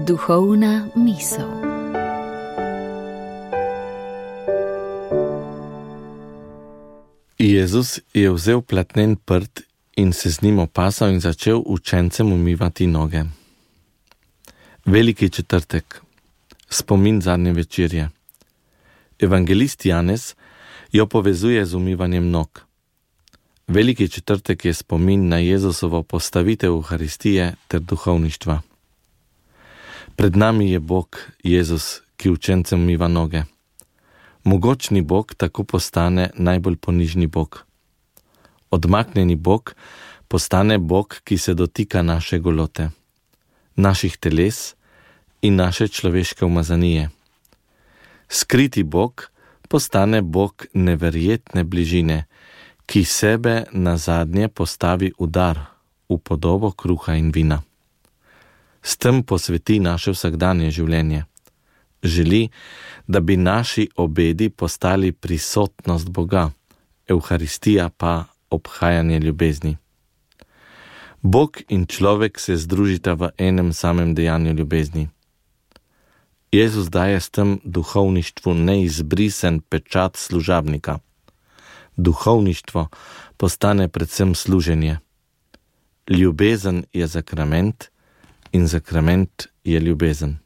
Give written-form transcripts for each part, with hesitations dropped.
Duhovna misel. Jezus je vzel platnen prt in se z njim opasal in začel učencem umivati noge. Veliki četrtek, spomin zadnje večerje. Evangelist Janez jo povezuje z umivanjem nog. Veliki četrtek je spomin na Jezusovo postavitev Euharistije ter duhovništva. Pred nami je Bog, Jezus, ki učencem umiva noge. Mogočni Bog tako postane najbolj ponižni Bog. Odmaknjeni Bog postane Bog, ki se dotika naše golote, naših teles in naše človeške umazanije. Skriti Bog postane Bog neverjetne bližine, ki sebe nazadnje postavi v dar, v podobo kruha in vina. S tem posveti naše vsakdanje življenje. Želi, da bi naši obedi postali prisotnost Boga, Euharistija pa obhajanje ljubezni. Bog in človek se združita v enem samem dejanju ljubezni. Jezus daje s tem duhovništvu neizbrisen pečat služabnika. Duhovništvo postane predvsem služenje. Ljubezen je sakrament in sakrament je ljubezen.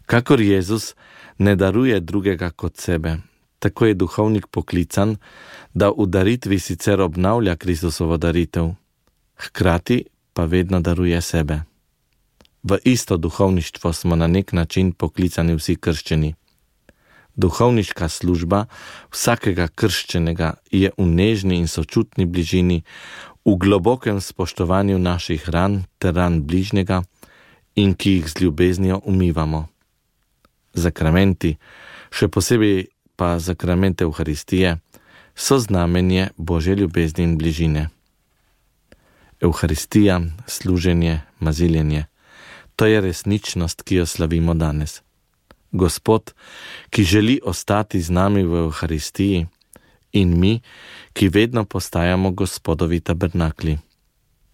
Kakor Jezus ne daruje drugega kot sebe, tako je duhovnik poklican, da v daritvi sicer obnavlja Kristusovo daritev, hkrati pa vedno daruje sebe. V isto duhovništvo smo na nek način poklicani vsi krščeni. Duhovniška služba vsakega krščenega je v nežni in sočutni bližini, v globokem spoštovanju naših ran ter ran bližnjega in ki jih z ljubeznijo umivamo. Zakramenti, še posebej pa zakrament Euharistije, so znamenje Božje ljubezni in bližine. Euharistija, služenje, maziljenje, to je resničnost, ki jo slavimo danes. Gospod, ki želi ostati z nami v Euharistiji, in mi, ki vedno postajamo Gospodovi tabernakli.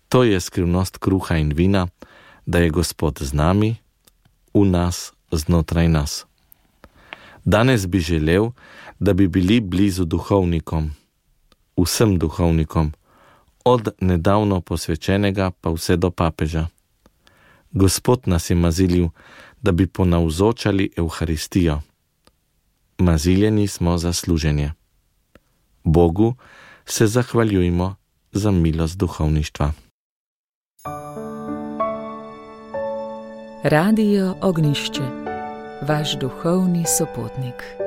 To je skrivnost kruha in vina, da je Gospod z nami, v nas, znotraj nas. Danes bi želel, da bi bili blizu duhovnikom, vsem duhovnikom, od nedavno posvečenega pa vse do papeža. Gospod nas je mazilil, da bi ponavzočali Euharistijo. Maziljeni smo za služenje. Bogu se zahvaljujmo za milost duhovništva. Radio Ognišče, vaš duhovni sopotnik.